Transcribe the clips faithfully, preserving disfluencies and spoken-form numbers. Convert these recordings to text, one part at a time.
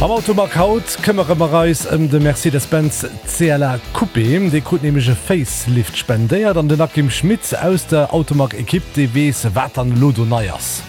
Am Automag haut këmmere mer eis ëm de Mercedes-Benz C L A Coupé. Dee krut nämlech e Facelift spendéiert an den Akim Schmit aus der Automag-Ekipp, dee weess, wat dann elo do nei ass.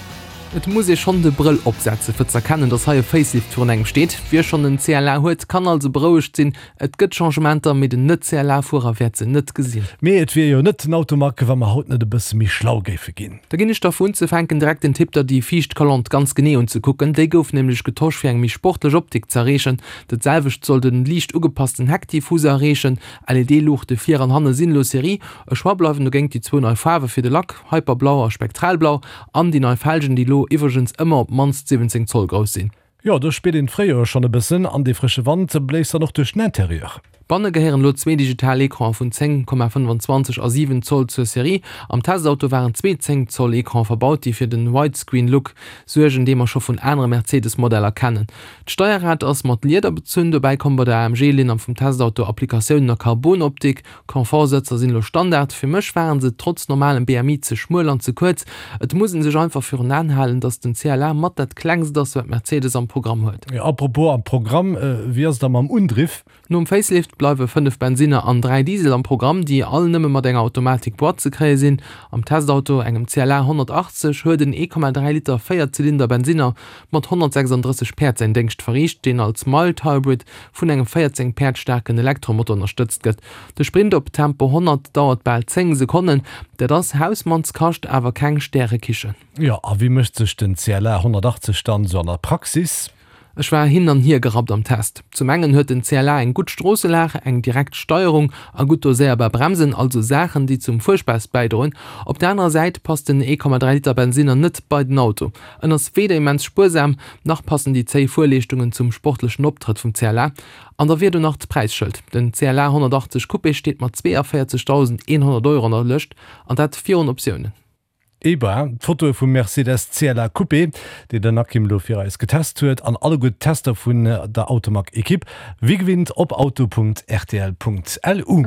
Et muss ee schonn de Brëll opsetze fir z'erkennen, dass hei e Facelift virun engem steet. Wie schonn en C L A huet, kann also berouegt sinn. Et gëtt Changementer, mee den Net-C L A-Fuerer wäert se net gesinn. Mee et wier jo net den Automag, wa mer haut net e bësse méi schlau géife ginn. Da ginn ech der fir unzefänken direkt den Tipp, der déi viischt Kolonn ganz genee unzekucken. Déi gouf nämlech getosch fir eng méi sportlech Optik z'erreechen. Dat selwecht soll den liicht ugepassten Heckdiffuser erreechen. L E D-Luuchte vir an hanne sinn elo Serie. E Choix bleiwen dogéint déi zwou nei Faarwe fir de Lack, Hyperblau a Spektralblau, an déi nei Felgen, déi elo iwwregens ëmmer op d'mannst siwwenzéng Zoll grouss sinn. Jo, do spiert een d'Fréijoer schonn e bëssen an dee frësche Wand bléist dann och duerch den Interieur. Banne gehéieren elo zwee digital Ecrane vun zéng Komma fënnefanzwanzeg a siwen Zoll zur Serie. Am Testauto waren zwee zéng Zoll Ecrane verbaut, déi fir den Widescreen-Look suergen, dee mer scho vun anere Mercedes-Modeller kennen. D'Steierrad ass mat Lieder bezunn, dobäi komme bei der A M G-Linn am vum Testauto Applikatiounen a Carbon-Optik. Komfortsëtzer sinn elo Standard. Fir mech waren se trotz normalem B M I ze schmuel an ze kuerz. Et muss ee sech einfach virun Aen halen, dass den C L A mat dat klengst ass, wat Mercedes am Programm huet. Jo, apropos am Programm, wéi ass et da mam Undriff? Nom Facelift bleiwe fënnef Bensinner an dräi Diesel am Programm, déi all nëmme mat enger Automatik-Boîte ze kréie sinn. Am Testauto, engem C L A honnertachtzeg, huet en ee Komma dräi Liter Véierzylinder Bensinner mat honnertsechsanddrësseg Päerd säin Déngscht verriicht, deen als Mild Hybrid vun engem véierzéng Päerd staarken Elektromotor ënnerstëtzt gëtt. De Sprint op Tempo honnert dauert bal zéng Sekonnen. Dat ass Hausmannskascht, awer keng Stärekichen. Jo, a wéi mécht sech den C L A honnertachtzeg dann esou an der Praxis? Ech war hin an hier gerappt am Test. Zum engen huet den C L A eng gutt Stroosselag, eng direkt Steierung a gutt doséierbar Bremsen, also Saachen, déi zum Fuerspaass bäidroen. Op der anerer Säit passt den ee Komma dräi Liter Bensinner net bei den Auto. En ass weder immens spuersam, nach passen déi zéi Fuerleeschtungen zum sportlechen Optrëtt vum C L A. An da wier do nach d'Präisschëld. Den C L A honnertachtzeg Coupé steet mat zweeavéierzegdausendeenhonnert Euro an der Lëscht, an dat virun Optiounen. Eba, d'Fotoe vum Mercedes C L A Coupé, déi den Akim elo fir eis getest huet, an alleguer d'Tester vun der Automag-Ekipp, wéi gewinnt op auto Punkt R T L Punkt L U.